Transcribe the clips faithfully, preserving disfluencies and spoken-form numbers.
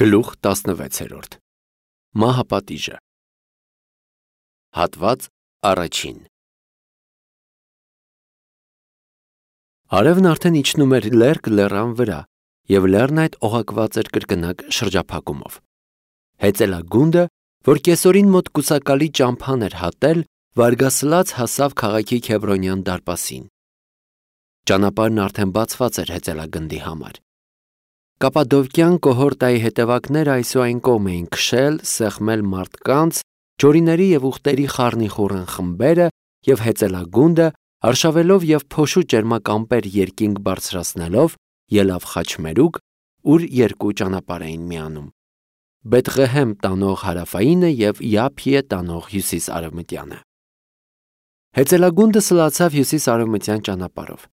Գլուխ տասնվեցերորդ Մահապատիժը Հատված առաջին Արևն արդեն իջնում էր լերկ լեռան վրա, և լեռն այդ օղակված էր կրկնակ շրջափակումով։ Հեծելագունդը, որ կեսօրին մոտ կուսակալի ճամփան էր հատել, վարգասլաց հասավ քաղաքի Քեբրոնյան դարպասին։ Ճանապարհն արդեն բացված էր հեծելագնդի համար։ Կապադովկյան կոհորտայի հետևակները այսուայն կողմ էին քշել, սեղմել մարդկանց, ջորիների և ուղտերի խառնիխուռն խմբերը և հեծելագունդը, արշավելով և փոշու ճերմակ ամպեր երկինք բարձրացնելով, ելավ Խաչմերուկ, ուր երկու ճանապարհ էին միանում՝ Բեթղեհեմ տանող հարավայինը և Յափիե տանող հյուսիս-արևմտյանը։ Հեծելագունդը սլացավ հյուսիս-արևմտյան ճանապարհով։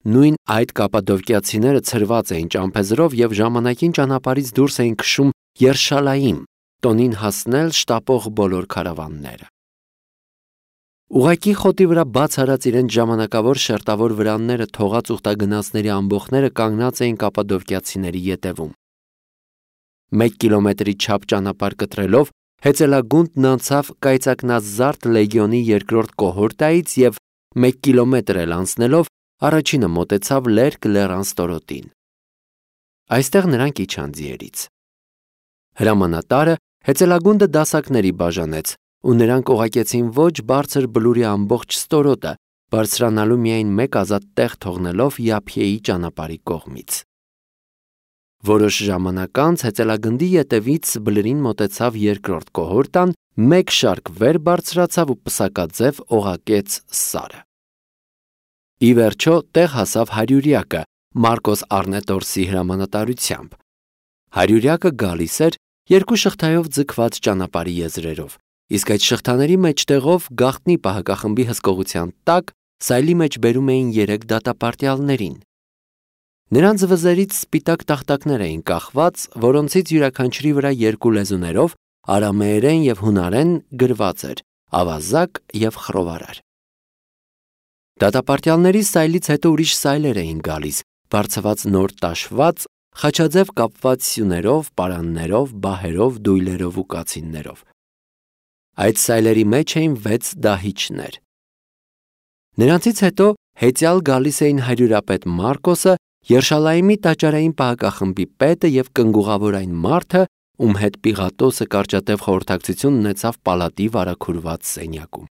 Նույն այդ կապադովկիացիները ցրված էին ճամփեզրով և ժամանակին ճանապարհից դուրս էին քշում Երշալայիմ, տոնին հասնել շտապող բոլոր քարավանները։ Ուղղակի խոտի վրա բաց արած իրենց ժամանակավոր շերտավոր վրանները թողած ուխտագնացների ամբոխները կանգնած էին կապադովկիացիների ետևում։ Մեկ կիլոմետրի չափ ճանապարհ կտրելով հեծելագունդն անցավ կայծակնազարդ լեգիոնի երկրորդ կոհորտայից և մեկ կիլոմետր էլ անցնելով առաջինը մոտեցավ լերկ լեռան ստորոտին։ Այստեղ նրանք իջան ձիերից։ Հրամանատարը հեծելագունդը դասակների բաժանեց, ու նրանք օղակեցին ոչ բարձր բլուրի ամբողջ ստորոտը, բարձրանալու միայն մեկ ազատ տեղ թողնելով Յափիեի ճանապարհի կողմից։ Որոշ ժամանակ անց հեծելագնդի ետևից բլրին մոտեցավ երկրորդ կոհորտան, մեկ շարք վեր բարձրացավ ու պսակաձև օղակեց Սարը։ Ի վերջո տեղ հասավ հարյուրյակը Մարկոս Առնետորսի հրամանատարությամբ։ Հարյուրյակը գալիս էր երկու շղթայով ձգված ճանապարհի եզրերով, իսկ այդ շղթաների մեջտեղով գաղտնի պահակախմբի հսկողության տակ սայլի մեջ բերում էին երեք դատապարտյալներին։ Նրանց վզերից սպիտակ տախտակներ էին կախված, որոնցից յուրաքանչյուրի վրա երկու լեզուներով արամեերեն և հունարեն գրված էր ավազակ և խռովարար։ Դատապարտյալների սայլից հետո ուրիշ սայլեր էին գալիս, բարձված նոր տաշված, խաչաձև կապված սյուներով, պարաններով, բահերով, դույլերով ու կացիններով։ Այդ սայլերի մեջ էին վեց դահիճներ։ Նրանցից հետո հեծյալ գալիս էին հարյուրապետ Մարկոսը, Երշալայիմի տաճարային պահակախմբի պետը և կնգուղավոր այն մարդը, ում հետ Պիղատոսը կարճատև խորհրդակցություն ունեցավ պալատի վարագուրված սենյակում։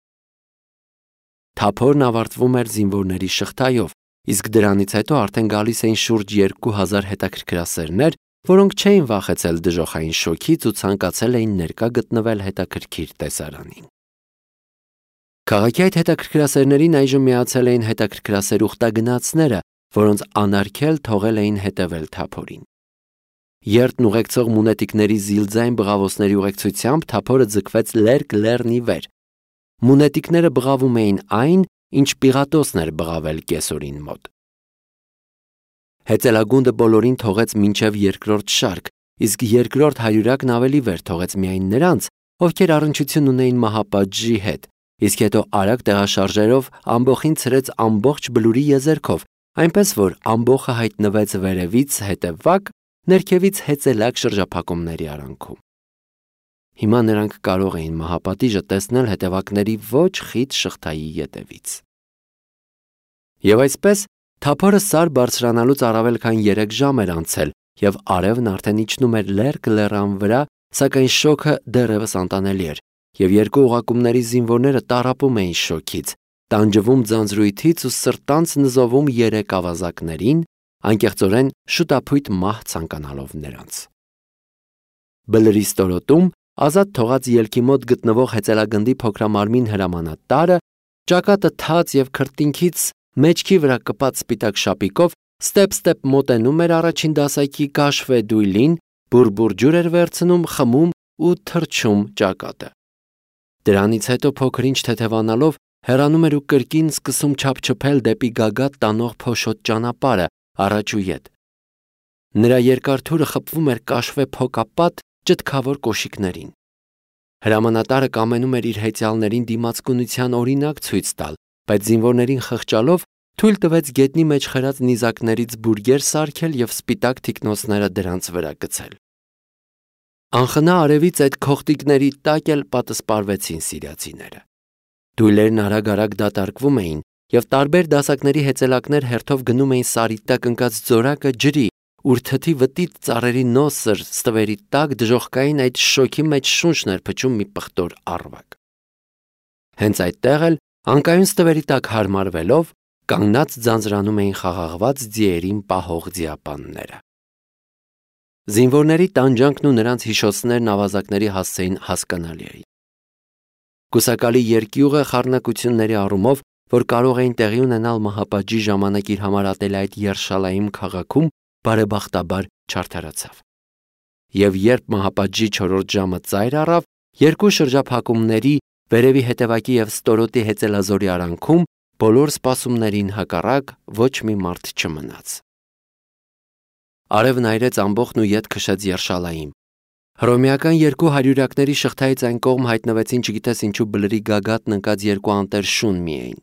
Թափորն ավարտվում էր զինվորների շղթայով, իսկ դրանից հետո արդեն գալիս էին շուրջ երկու հազար հետաքրքրասերներ, որոնք չէին վախեցել դժոխային շոգից ու ցանկացել էին ներկա գտնվել հետաքրքիր տեսարանին։ Քաղաքի այդ հետաքրքրասերներին այժմ միացել էին հետաքրքրասեր ուխտագնացները, որոնց անարգել թողել էին հետևել թափորին։ Երթն ուղեկցող մունետիկների զիլձայն բղավոցների ուղեկցությամբ թափորը ձգվեց լերկ լեռնի վեր։ Մունետիկները բղավում էին այն, ինչ Պիղատոսն էր բղավել կեսօրին մոտ։ Հեծելագունդը բոլորին թողեց մինչև երկրորդ շարք, իսկ երկրորդ հարյուրյակն ավելի վեր թողեց միայն նրանց, ովքեր առնչություն ունեին մահապատժի հետ, իսկ հետո արագ տեղաշարժերով ամբոխին ցրեց ամբողջ բլուրի եզերքով, այնպես որ ամբոխը հայտնվեց վերևից հետևակ, ներքևից հեծելակ շրջափակումների արանքում։ Հիմա նրանք կարող էին մահապատիժը տեսնել հետևակների ոչ խիտ շղթայի ետևից։ Եվ այսպես թափորը Սար բարձրանալուց առավել քան երեք ժամ էր անցել, և արևն արդեն իջնում էր լերկ լեռան վրա, սակայն շոգը դեռևս անտանելի էր, և երկու օղակումների զինվորները տառապում էին շոգից, տանջվում ձանձրույթից ու սրտանց նզովում երեք ավազակներին, անկեղծորեն շուտափույթ մահ ցանկանալով նրանց։ Բլրի ստորոտում ազատ թողած ելքի մոտ գտնվող հեծելագնդի փոքրամարմին հրամանատարը, ճակատը թաց և քրտինքից մեջքի վրա կպած սպիտակ շապիկով, ստեպ-ստեպ մոտենում էր առաջին դասակի կաշվե դույլին, բուռ-բուռ ջուր էր վերցնում, խմում ու թռչում ճակատը։ Դրանից հետո փոքր-ինչ թեթևանալով հեռանում էր ու կրկին սկսում չափչփել դեպի գագաթ տանող փոշոտ ճանապարհը առաջ ու ետ։ Նրա երկար թուրը խփվում էր կաշվե փոկապատ ճտկավոր կոշիկներին։ Հրամանատարը կամենում էր իր հեծյալներին դիմացկունության օրինակ ցույց տալ, բայց զինվորներին խղճալով թույլ տվեց գետնի մեջ խրած նիզակներից բուրգեր սարքել և սպիտակ թիկնոցները դրանց վրա գցել։ Անխնա արևից այդ քողտիկների տակ էլ պատսպարվեցին սիրիացիները։ Դույլերն արագ-արագ դատարկվում էին եւ տարբեր դասակների հեծելակներ հերթով գնում էին սարի տակ ընկած ձորակը ջրի, ուր թթի վտիտ ծառերի նոսր ստվերի տակ դժոխքային այդ շոքի մեջ շունչն էր փչում մի պղտոր առվակ։ Հենց այդտեղ էլ անկայուն ստվերի տակ հարմարվելով կանգնած ձանձրանում էին խաղաղված ձիերին պահող ձիապանները։ Զինվորների տանջանքն ու նրանց հիշոցներն ավազակների հասցեին հասկանալի էին։ Կուսակալի երկյուղը խառնակությունների առումով, որ կարող էին տեղի ունենալ մահապատժի ժամանակ իր համար ատել այդ Երշալայիմ քաղաքում, բարեբախտաբար չարդարացավ։ Եվ երբ մահապատժի չորրորդ ժամը ծայր առավ, երկու շրջափակումների վերևի հետևակի եւ ստորոտի հեծելազորի արանքում բոլոր սպասումներին հակառակ ոչ մի մարդ չմնաց։ Արևն այրեց ամբոխն ու ետ քշեց Երշալայիմ։ Հռոմեական երկու հարյուրյակների շղթայից այն կողմ հայտնվեցին չգիտես ինչու բլրի գագաթն ընկած երկու անտեր շուն միայն։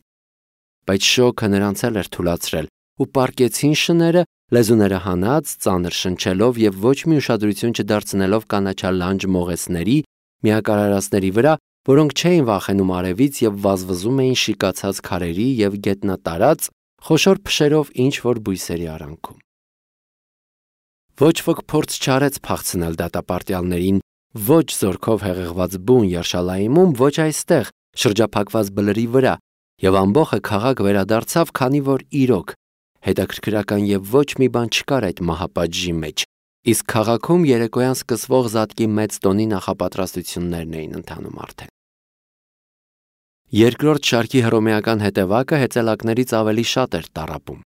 Բայց շոքը նրանց էլ էր թուլացրել ու պառկեցին շները, լեզուները հանած, ծանր շնչելով եւ ոչ մի ուշադրություն չդարձնելով կանաչալ լանջ մողեսների, միակարարածների վրա, որոնք չէին վախենում արևից եւ վազվզում էին շիկացած քարերի եւ գետնատարած խոշոր փշերով ինչ որ բույսերի արանքում։ Ոչ ոք փորձ չարեց փախցնել դատապարտյալներին, ոչ զորքով հեղեղված բուն Երշալայիմում, ոչ այստեղ շրջափակված բլրի վրա, եւ ամբողը քաղաք վերադարձավ, քանի որ իրոք հետաքրքրական եւ ոչ մի բան չկար այդ մահապատժի մեջ, իսկ քաղաքում երեկոյան սկսվող զատկի մեծ տոնի նախապատրաստություններն էին ընթանում արդեն։ Երկրորդ շարքի հռոմեական հետևակը հեծելակներից ավելի շատ էր տառապում։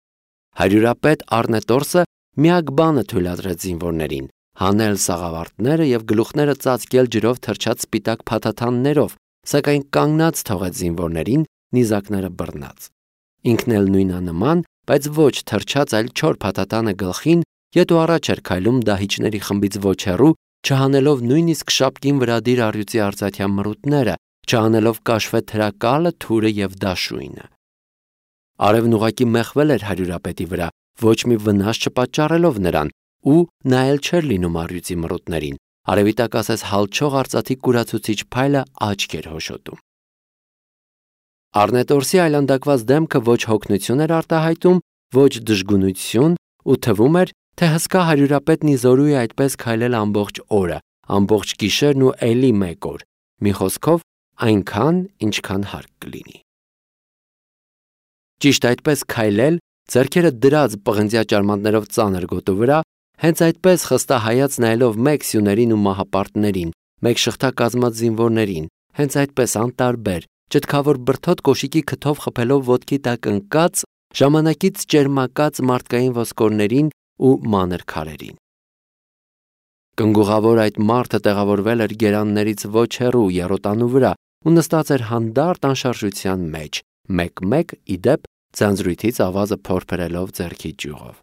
Հարյուրապետ Առնետորսը միակ բանը թույլատրեց զինվորներին հանել սաղավարտները եւ գլուխները ծածկել ջրով թրջած սպիտակ փաթաթաններով, սակայն կանգնած թողեց զինվորներին նիզակները բռնած։ Ինքն էլ նույնանման, բայց ոչ թրջած, այլ չոր փաթաթանը գլխին, ետ ու առաջ էր քայլում դահիճների խմբից ոչ հեռու, չհանելով նույնիսկ շապկին վրա դիր առյուծի արծաթյան մրուտները, չհանելով կաշվե թրակալը, թուրը եւ դաշույնը։ Արևն ուղակի մեղվել էր հարյուրապետի վրա, ոչ մի վնաս չպատճառելով նրան, ու նայել չէր լինում առյուծի մրուտներին, արևի տակ ասես հալչող արծաթի կուրացուցիչ փայլը աչք էր հոշոտում։ Առնետորսի այլանդակված դեմքը ոչ հոգնություն էր արտահայտում, ոչ դժգունություն, ու թվում էր, թե հսկա հարյուրապետն իզորու է այդպես քայլել ամբողջ օրը, ամբողջ գիշերն ու էլի մեկ օր, մի խոսքով այնքան, ինչքան հարկ կլինի։ Ճիշտ այդպես քայլել, ձեռքերը դրած պղնձյա ճարմաններով ծանր գոտու վրա, հենց այդպես խստահայաց նայելով մեկ սյուներին ու մահապարտներին, մեկ շղթա կազմած զինվորներին, հենց այդպես անտարբեր, ճտքավոր բրդոտ կոշիկի քթով խփելով ոտքի տակ ընկած, ժամանակից ճերմակած մարդկային ոսկորներին ու մանր քարերին։ Կնգուղավոր այդ մարդը տեղավորվել էր գերաններից ոչ հեռու եռոտանու վրա ու նստած էր հանդարտ անշարժության մեջ, մեկ-մեկ ի դեպ ձանձրույթից ավազը փորփրելով ձեռքի ճյուղով։